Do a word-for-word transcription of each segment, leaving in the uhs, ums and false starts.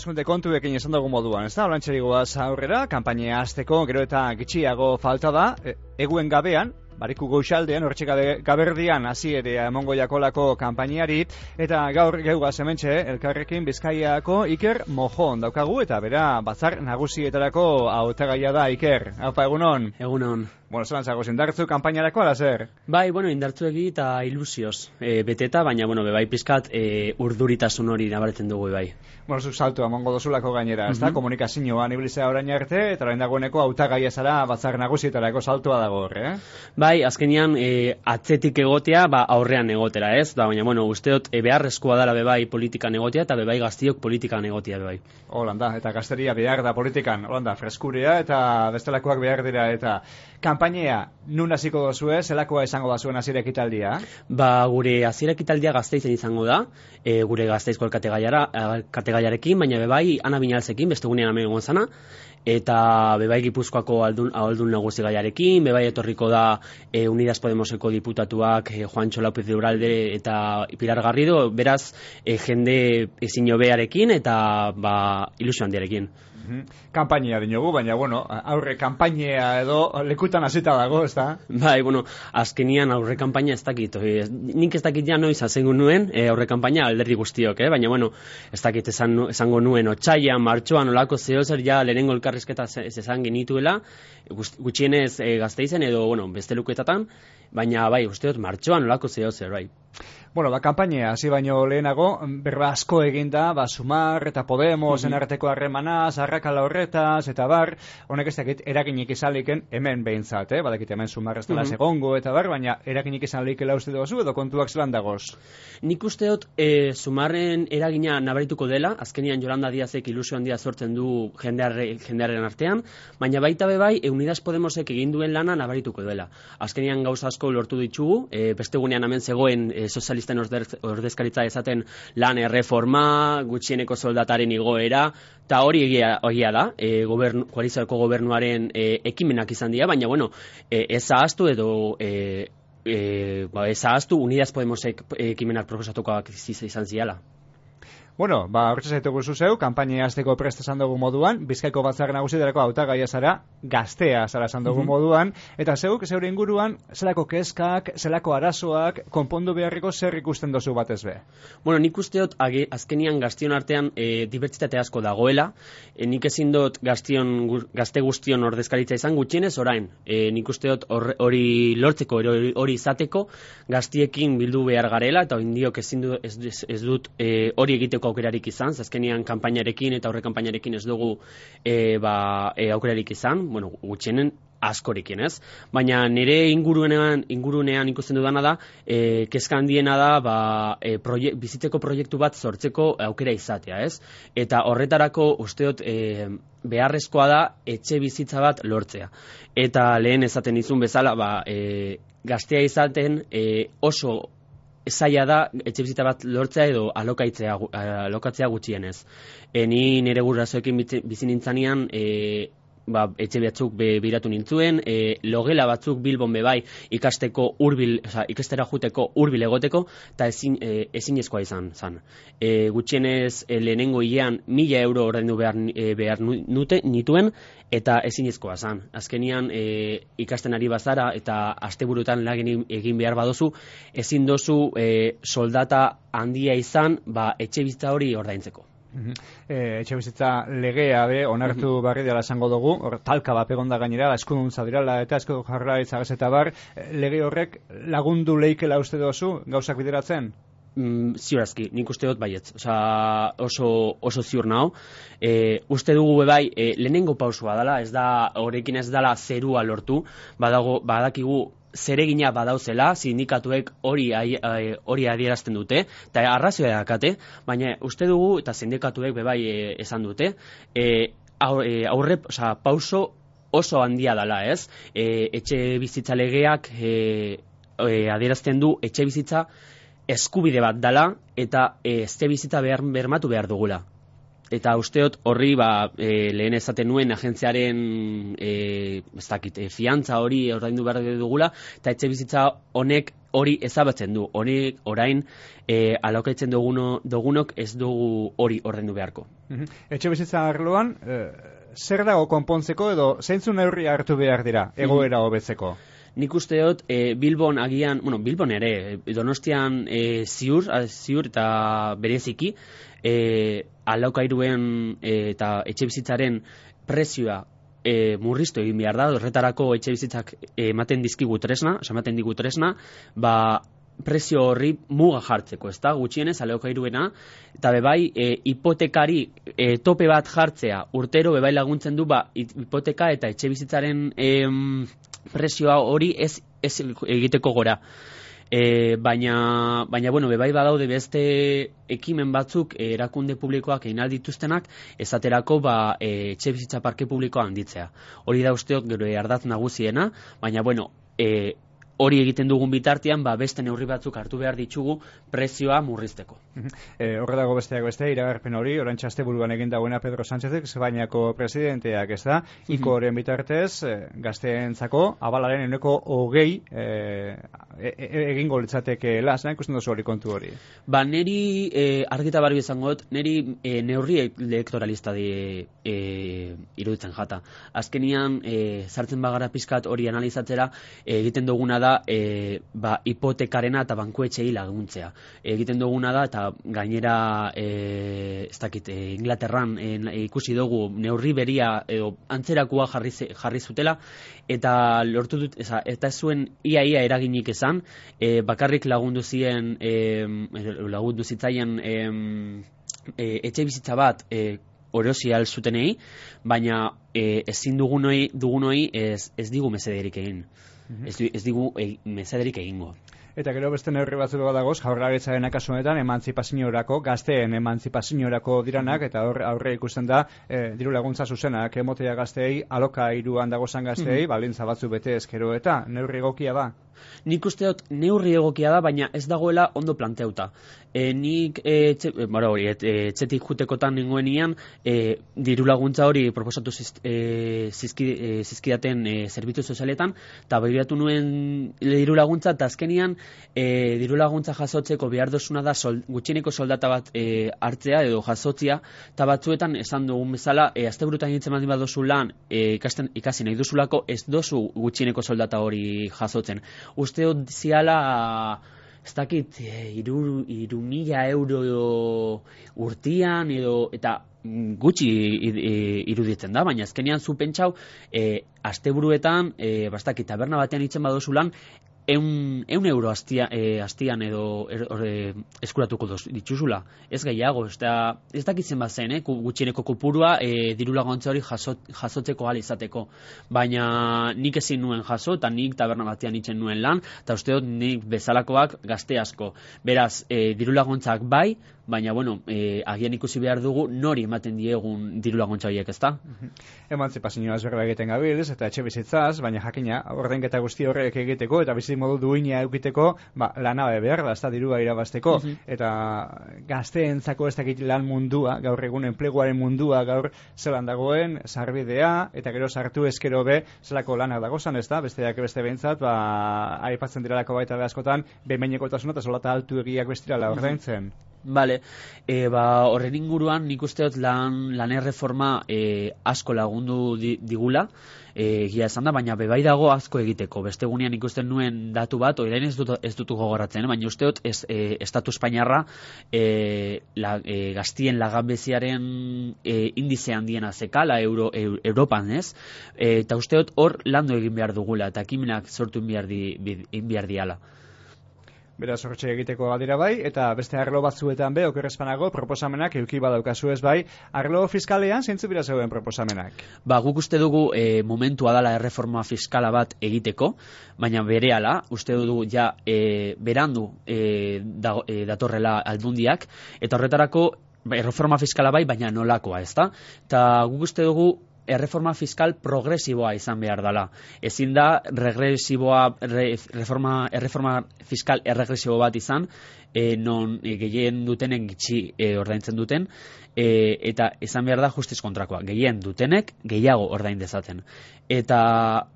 hauteskunde kontuekin esan dugu moduan, ez da? Olantxeri goaz aurrera, kanpainea hasteko gero eta gitxiago falta da, e, eguen gabean, Bariku goixaldean, hortxe gaberdian hasi ere emongo jakolako kanpainiari, eta gaur geugaz hementxe, elkarrekin Bizkaiako Iker Mojon daukagu, eta bera batzar nagusietarako hautagaia da Iker. Haupa, egunon? Egunon. Bueno, zelan zagoz, indartzu kanpainarako, ala zer? Bai, bueno, indartzu egi eta ilusioz e, beteta, baina, bueno, bebai pizkat e, urduritasun hori nabaretzen dugu bai. Bueno, zuk saltu amongo dozulako gainera, ez da? Mm -hmm. Komunikazioan ibilizea orain arte, eta orain dagoeneko hautagaia zara batzar nagusietarako saltua dago hor, eh? Bai, azkenean e, atzetik egotea, ba, aurrean egotera, ez? Da, baina, bueno, usteot e, beharrezkoa dela bebai politikan egotea, eta bebai gaztiok politikan egotea bebai. Holanda, eta gazteria behar da politikan, holanda, freskuria eta bestelakoak behar dira, eta kanpainea nun hasiko dozue, zelakoa izango da zuen hasiera ekitaldia? Ba, gure hasiera ekitaldia Gasteizen izango da, e, gure Gasteizko alkategaiarekin, baina bebai Ana Binalzekin, beste gunean hemen egon zana, eta bebai Gipuzkoako aldun, aldun nagusi gaiarekin, bebai etorriko da e, Unidas Podemoseko diputatuak e, Juancho López de Uralde eta Pilar Garrido, beraz e, jende ezin hobearekin eta ba, ilusio handiarekin. Kanpainia dinogu, baina, bueno, aurre kanpainea edo lekutan hasita dago, ez da? Bai, bueno, azkenian aurre kanpaina ez dakit. E, nik ez dakit ja noiz hazengu nuen e, aurre kanpaina alderdi guztiok, eh? Baina, bueno, ez dakit esan, esango nuen otxaian, martxoan, olako zehozer ja lehenengo elkarrizketa ez esan genituela, gutxienez e, Gasteizen edo, bueno, beste luketatan, baina, bai, usteot, martxoan, olako zehozer, bai. Bueno, ba, kanpainea, hasi baino lehenago, berba asko eginda, ba, Sumar eta Podemos, mm -hmm. enarteko harremanaz, arrakala horretaz, eta bar, honek ez dakit, eraginik izaliken, hemen behintzat, eh? Badakit hemen Sumar ez dela mm -hmm. segongo, eta bar, baina eraginik izanlikela uste duzu, edo kontuak zelan dagoz? Nik usteot, e, Sumarren eragina nabarituko dela, azkenian Yolanda Díazek ilusio handia sortzen du jendearre, jendearen artean, baina baita bebai, e, Unidas Podemosek egin duen lana nabarituko dela. Azkenian gauza asko lortu ditugu, e, beste gunean hemen zegoen e, sozialista ordezkaritza esaten lan erreforma, gutxieneko soldataren igoera, eta hori egia, egia da, e, gobernu, koalizioko gobernuaren e, ekimenak izan dira, baina bueno, e, ez ahaztu edo e, e, ba, ez ahaztu Unidas Podemosek ekimenak proposatukoak izan ziala. Bueno, ba, hortxe zaitugu zuzeu, kanpainea hasteko prest esan dugu moduan, Bizkaiko batzar nagusietarako hautagaia zara, gaztea zara esan dugu mm -hmm. moduan, eta zeuk, zeure inguruan, zelako kezkak, zelako arazoak, konpondu beharriko zer ikusten dozu batez be? Bueno, nik usteot, age, azkenian gaztion artean e, dibertsitate asko dagoela, e, nik ezin dut gaztion, gazte guztion ordezkaritza izan gutxienez orain, e, nik usteot hori lortzeko, hori izateko, gaztiekin bildu behar garela, eta indiok ezin du, ez, ez, ez dut hori e, egiteko aukerarik izan, azkenian kanpainarekin eta aurre kanpainarekin ez dugu e, ba, e, aukerarik izan, bueno, gutxienen askorekin, ez? Baina nire ingurunean, ingurunean ikusten dudana da, e, kezka handiena da, ba, e, proie, bizitzeko proiektu bat sortzeko aukera izatea, ez? Eta horretarako usteot e, beharrezkoa da etxe bizitza bat lortzea. Eta lehen esaten izun bezala, ba, e, gaztea izaten e, oso zaila da etxe bizitza bat lortzea edo alokaitzea, alokatzea gutxienez. E, ni nire gurasoekin bizi nintzanean, e, ba, etxe batzuk be, biratu nintzuen, e, logela batzuk Bilbon bebai ikasteko urbil, oza, ikastera juteko urbil egoteko, eta ezin, e, ezinezkoa izan zan. E, gutxienez e, lehenengo hilean mila euro ordaindu behar, e, behar nute, nituen, eta ezinezkoa zan. Azkenian e, ikasten ari bazara eta asteburutan lagin egin behar badozu, ezin dozu e, soldata handia izan, ba, etxe bizitza hori ordaintzeko. E, etxe bizitza legea be, onartu mm -hmm. barri dela esango dugu, hor talka bat egonda gainera, eskuduntza dirala eta eskudu jarraitza eta bar, lege horrek lagundu leikela uste dozu gauzak bideratzen? Mm, ziurazki, nik uste dut baietz, Osa, oso, oso ziur nao. E, uste dugu bebai, e, lehenengo pausua dela, ez da, horrekin ez dela zerua lortu, badago, badakigu zeregina badauzela, sindikatuek hori hori adierazten dute, eta arrazioa dakate, baina uste dugu, eta sindikatuek bebai e, esan dute, e, aurre, oza, pauso oso handia dela, ez? E, etxe bizitza legeak e, e, adierazten du etxe bizitza eskubide bat dela, eta e, etxe bizitza behar, bermatu behar dugula. Eta usteot horri ba, e, lehen esaten nuen agentziaren e, ez dakit, e, fiantza hori ordaindu behar dugula, eta etxe bizitza honek hori ezabatzen du. Honek orain e, alokaitzen duguno, dugunok ez dugu hori ordaindu beharko. Etxe bizitza arloan, e, zer dago konpontzeko edo zeintzu neurri hartu behar dira egoera hobetzeko? Nik usteot e, Bilbon agian, bueno, Bilbon ere, Donostian e, ziur, ziur eta bereziki, e, alokairuen e, eta etxe bizitzaren prezioa e, murriztu egin behar da, horretarako etxe bizitzak ematen dizkigu tresna, ematen digu tresna, ba, prezio horri muga jartzeko, ez da, gutxienez alokairuena, eta bebai e, hipotekari e, tope bat jartzea urtero bebai laguntzen du ba, hipoteka eta etxe bizitzaren e, prezioa hori ez, ez egiteko gora. E, baina, baina, bueno, bebai badaude beste ekimen batzuk e, erakunde publikoak egin aldituztenak, esaterako ba, e, etxe bizitza parke publikoa handitzea. Hori da usteok gero ardatz nagusiena, baina, bueno, e, hori egiten dugun bitartean, ba, beste neurri batzuk hartu behar ditugu prezioa murrizteko. E, horre dago besteak beste, iragarpen hori, oraintxe asteburuan egin dagoena Pedro Sánchezek, Espainiako presidenteak, ez da, iko horien bitartez, e, gazteentzako, abalaren eneko hogei e, e, e, egingo litzateke las, ikusten duzu hori kontu hori. Ba, neri, e, argita barri izango dut, neri e, neurri elektoralista di e, iruditzen jata. Azkenian, e, sartzen bagara pizkat hori analizatzera, e, egiten duguna da da e, ba, hipotekarena eta bankuetxei laguntzea. Egiten duguna da eta gainera e, ez dakit, e, Inglaterran e, ikusi dugu neurri beria edo antzerakua jarri, jarri zutela eta lortu dut, eza, eta ez zuen ia ia eraginik esan, e, bakarrik lagundu zien e, lagundu zitzaien e, e, etxe bizitza bat e, orosi alzutenei, baina e, ezin dugunoi, dugunoi ez, ez digu mesederik egin. Ez, ez digu e, mesederik egingo. Eta gero beste neurri batzuk badagoz, jaurlaritzaren kasu honetan emantzipaziorako, gazteen emantzipaziorako diranak, eta hor aurre ikusten da e, diru laguntza zuzenak emotea gazteei, alokairuan dagozan gazteei, mm-hmm. baldintza batzu bete ezkero eta neurri egokia da. Nik usteot neurri egokia da, baina ez dagoela ondo planteauta. E, nik e, txe, e, bara hori, et, e, txetik jutekotan nengoenian, e, diru laguntza hori proposatu ziz, e, zizki, e, zizkidaten e, zerbitzu sozialetan, eta behiratu nuen diru laguntza, eta azkenian e, diru laguntza jasotzeko behar dozuna da sol, gutxieneko soldata bat e, hartzea edo jasotzia, eta batzuetan esan dugun bezala, e, azte burutan nintzen baldin badozu lan, e, ikasten, ikasi nahi duzulako, ez dozu gutxieneko soldata hori jasotzen. Uste hot ziala, ez dakit, iru, iru mila euro urtian, edo, eta gutxi iruditzen da, baina azkenean zu pentsau, e, asteburuetan, e, bastakit, taberna batean itzen badozulan, eun, eun euro astia, e, astian edo er, er, eskuratuko doz, dituzula. Ez gehiago, ez, da, ez dakitzen bat zen, eh? Gutxieneko kopurua e, diru laguntza hori jasot, jasotzeko ahal izateko. Baina nik ezin nuen jaso, eta nik taberna batean itzen nuen lan, eta uste dut nik bezalakoak gazte asko. Beraz, e, diru laguntzak bai, baina, bueno, e, agian ikusi behar dugu nori ematen diegun diru laguntza horiek, ezta? Emantzipazioaz berba egiten gabilz, eta etxe bizitzaz, baina jakina, ordainketa guzti horrek egiteko, eta bizi modu duina eukiteko, ba, lanabe behar da, ez da dirua irabazteko, uh-huh. eta gazteentzako ez dakit lan mundua, gaur egun enpleguaren mundua, gaur zelan dagoen, sarbidea, eta gero sartu ezkero be, zelako lanak dagozan, ez da, besteak beste behintzat, ba, aipatzen diralako baita askotan, behin-behinekotasuna eta solata altu egiak bestirala ordaintzen. Vale, e, ba, horren inguruan nik usteot lan, lan erreforma e, asko lagundu di, digula, e, gira esan da, baina bebai dago asko egiteko. Beste gunean ikusten nuen datu bat, orain ez, dut, ez dutu gogoratzen, eh? Baina usteot ez, e, Estatu Espainiarra e, la, e, gaztien laganbeziaren e, indize handiena zekala Euro, e, Europan, ez? E, eta usteot hor landu egin behar dugula, eta ekimenak sortu behar di, behar diala. Beraz, hortxe egiteko gadira bai, eta beste arlo batzuetan be, okerrezpanago, proposamenak euki badaukazu ez bai. Arlo fiskalean, zeintzu bira zeuden proposamenak? Ba, guk uste dugu e, momentua dala erreforma fiskala bat egiteko, baina berehala, uste dugu ja e, berandu e, da, e, datorrela aldundiak, eta horretarako erreforma fiskala bai, baina nolakoa, ez da? Eta guk uste dugu erreforma fiskal progresiboa izan behar dela. Ezin da regresiboa, re, reforma, erreforma fiskal erregresibo bat izan, e, non e, gehien dutenen gitxi e, ordaintzen duten, e, eta izan behar da justiz kontrakoa. Gehien dutenek gehiago ordain dezaten. Eta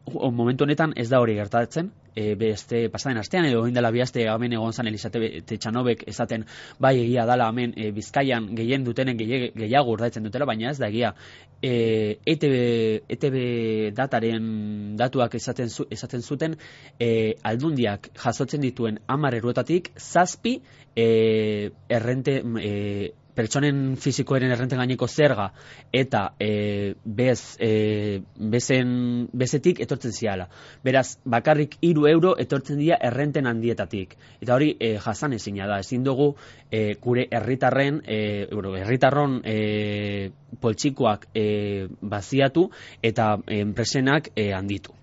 momentu honetan ez da hori gertatzen, e, beste pasaden astean edo egin dela bihazte hemen egon zan Elisabete Txanobek esaten bai egia dala hemen e, Bizkaian gehien dutenen gehiago ordaintzen dutela, baina ez da egia. E, E T B, E T B dataren datuak esaten, zu, esaten zuten e, aldundiak jasotzen dituen hamar eruetatik zazpi e, errente e, pertsonen fizikoaren errenten gaineko zerga eta e, bez, e, bezen, bezetik etortzen ziala. Beraz, bakarrik hiru euro etortzen dira errenten handietatik. Eta hori e, jasan ezina da. Ezin dugu e, gure herritarren, e, herritarron e, poltsikoak e, baziatu eta enpresenak e, handitu.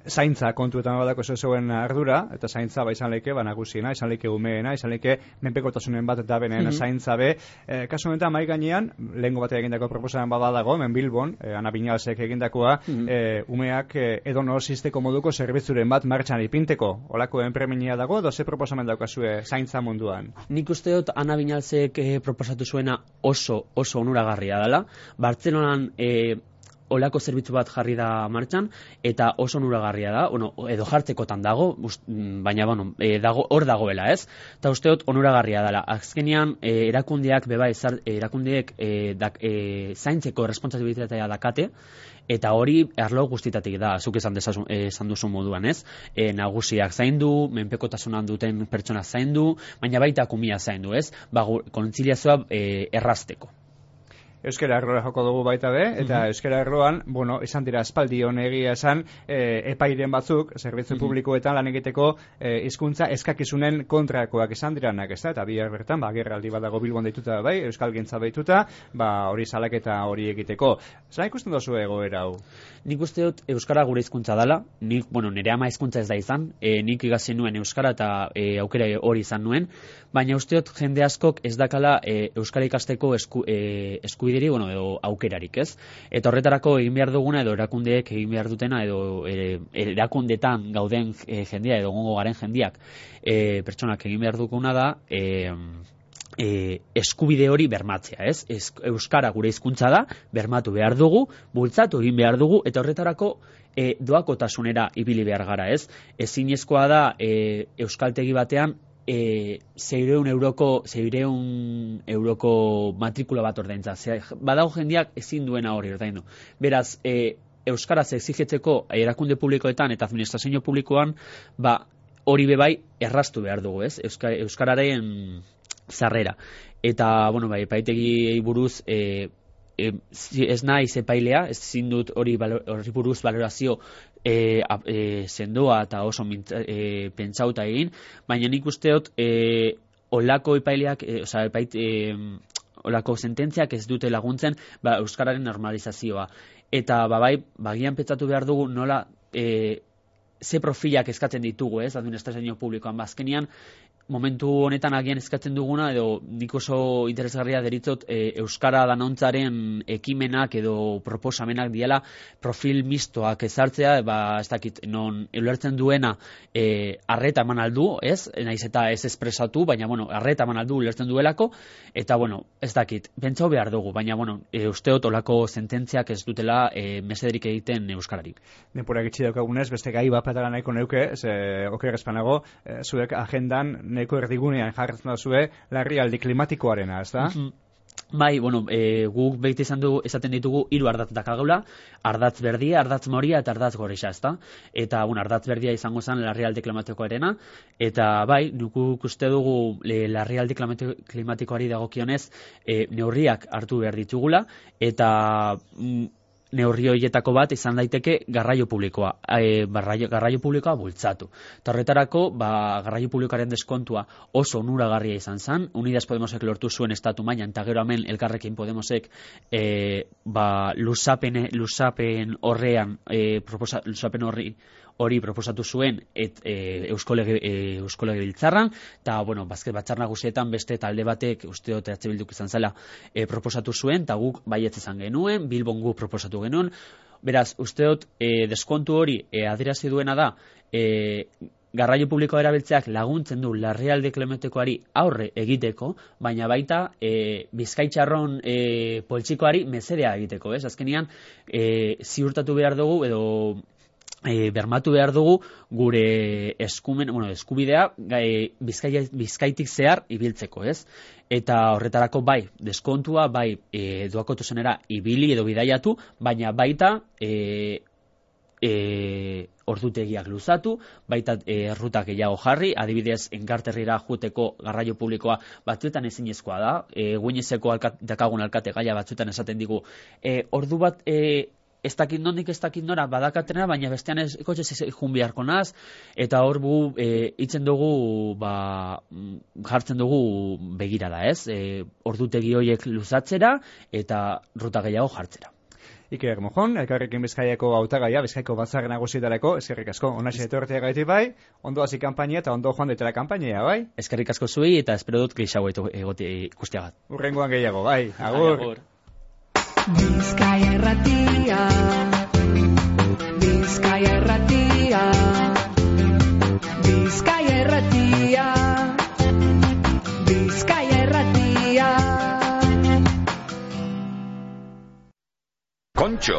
Zaintza kontuetan badako zeuen ardura, eta zaintza ba izan leke, ba nagusiena, izan leke umeena, izan leke menpekotasunen bat eta benen mm -hmm. zaintza be. E, kasu honetan mai gainean, lehengo batek egindako proposamen bada dago, hemen Bilbon, e, Ana Binalsek egindakoa, mm -hmm. e, umeak e, edo norxisteko moduko zerbitzuren bat martxan ipinteko. Olako enpreminia dago, doze proposamen daukazue zaintza munduan. Nik uste dut Ana Binalsek e, proposatu zuena oso, oso onuragarria dela. Bartzelonan e, olako zerbitzu bat jarri da martxan, eta oso onuragarria da, bueno, edo jartzekotan dago, ust, baina bueno, e, dago, hor dagoela, ez? Eta usteot onuragarria dela. Azkenean, e, erakundeak, beba, ezar, erakundeek e, dak, e, zaintzeko responsabilitatea dakate, eta hori arlo guztitatik da, zuk esan, desasun, esan duzu moduan, ez? E, nagusiak zaindu, menpekotasunan duten pertsona zaindu, baina baita kumia zaindu, ez? Ba, kontziliazioa e, errazteko. Euskara Arloa joko dugu baita be, eta mm -hmm. Euskara Arloan, bueno, izan dira espaldi honegia esan, e, epairen batzuk, zerbitzu mm -hmm. publikoetan lan egiteko e, hizkuntza eskakizunen kontrakoak izan diranak, ez da, eta bihar bertan, ba, gerraldi bat dago Bilbon deituta bai, Euskal Gintza deituta, ba, hori salaketa hori egiteko. Zer ikusten duzu egoera hau? Nik uste dut Euskara gure hizkuntza dela, nik, bueno, nire ama hizkuntza ez da izan, e, nik ikasi nuen Euskara eta e, aukera hori izan nuen, baina uste dut jende askok ez dakala e, Euskara ikasteko esku, e, eskubideri, bueno, edo aukerarik, ez? Eta horretarako egin behar duguna, edo erakundeek egin behar dutena, edo e, erakundetan gauden e, jendia, edo gongo garen jendiak, e, pertsonak egin behar duguna da, e, E, eskubide hori bermatzea, ez? Ez, Euskara gure hizkuntza da, bermatu behar dugu, bultzatu egin behar dugu, eta horretarako e, doakotasunera ibili behar gara, ez? Ezinezkoa da e, euskaltegi batean e, seireun euroko, seireun euroko matrikula bat ordaintza. Badago jendiak ezin duena hori ordaindu. Beraz, e, euskaraz exigetzeko erakunde publikoetan eta administrazio publikoan, ba, hori bebai erraztu behar dugu, ez? Euska, euskararen zarrera. Eta, bueno, bai, epaitegi buruz e, e, ez naiz epailea, ez zindut hori, hori buruz valorazio e, e, sendoa eta oso mintza, e, pentsauta egin, baina nik usteot e, olako epaileak, e, oza, epait, e, olako sententziak ez dute laguntzen ba, euskararen normalizazioa. Eta, ba, bai, bagian pentsatu behar dugu nola e, ze profilak eskatzen ditugu, ez, administrazio publikoan, bazkenian, momentu honetan agian eskatzen duguna, edo nik oso interesgarria deritzot e, Euskara danontzaren ekimenak edo proposamenak diela profil mistoak ezartzea, ba, ez dakit, non ulertzen duena e, arreta eman aldu, ez? Naiz eta ez espresatu, baina, bueno, arreta eman aldu ulertzen duelako, eta, bueno, ez dakit, pentsau behar dugu, baina, bueno, e, usteot olako sententziak ez dutela e, mesederik egiten Euskarari. Denpura gitxi daukagunez, beste gai bat patara nahiko neuke, ze, oker espanago, e, zuek agendan neko erdigunean jarretzen da zue larrialdi klimatikoarena, ez da? Mm-hmm. Bai, bueno, e, guk behit izan du, esaten ditugu hiru ardatz dakagaula, ardatz berdia, ardatz moria eta ardatz gorexa, ez da? Eta, bueno, ardatz berdia izango zen larrialdi klimatikoarena, eta bai, guk uste dugu e, larrialdi klimatikoari dagokionez e, neurriak hartu behar ditugula, eta mm, neurri horietako bat izan daiteke garraio publikoa, e, barraio, garraio publikoa bultzatu. Eta horretarako, ba, garraio publikoaren deskontua oso onuragarria izan zen, Unidas Podemosek lortu zuen estatu mailan, eta gero hemen Elkarrekin Podemosek e, ba, lusapen, lusapen horrean, e, proposa, lusapen horri hori proposatu zuen et, e, Eusko Lege, e, Eusko Legebiltzarran, eta, bueno, bazket batzar nagusietan beste talde batek, uste dut E H Bilduk izan zela, e, proposatu zuen, eta guk baietz izan genuen, Bilbon guk proposatu genuen. Beraz, uste dut, e, deskontu hori e, adierazi duena da, e, garraio publikoa erabiltzeak laguntzen du larrialdi klimatikoari aurre egiteko, baina baita e, bizkaitxarron e, poltsikoari mesedea egiteko, ez? Azkenean, e, ziurtatu behar dugu, edo e, bermatu behar dugu gure eskumen, bueno, eskubidea e, bizkai, bizkaitik zehar ibiltzeko, ez? Eta horretarako bai, deskontua, bai e, doakotuzenera ibili edo bidaiatu, baina baita e, e, ordutegiak luzatu, baita e, errutak gehiago jarri, adibidez enkarterrira juteko garraio publikoa batzuetan ezinezkoa da, e, guinezeko alkat, dakagun alkate gaia batzuetan esaten digu, e, ordu bat e, ez dakit nondik ez dakit nora badakatena, baina bestean ez kotxez jun beharko naz, eta hor gu e, itzen dugu, ba, jartzen dugu begirada, ez? E, ordutegi horiek luzatzera eta ruta gehiago jartzera. Iker Mojon, Elkarrekin Bizkaiako hautagaia, Bizkaiko batzar nagusietarako, eskerrik asko, onaxe etortea gaiti bai, ondo hasi kanpainia eta ondo joan detela kanpainia, bai? Eskerrik asko zuei eta espero dut gehiago egoti ikustiagat. Urrengoan gehiago, bai, agur. Agur. Bizkaia erratia, Bizkaia erratia, Bizkaia erratia, Bizkaia erratia. Kontxo,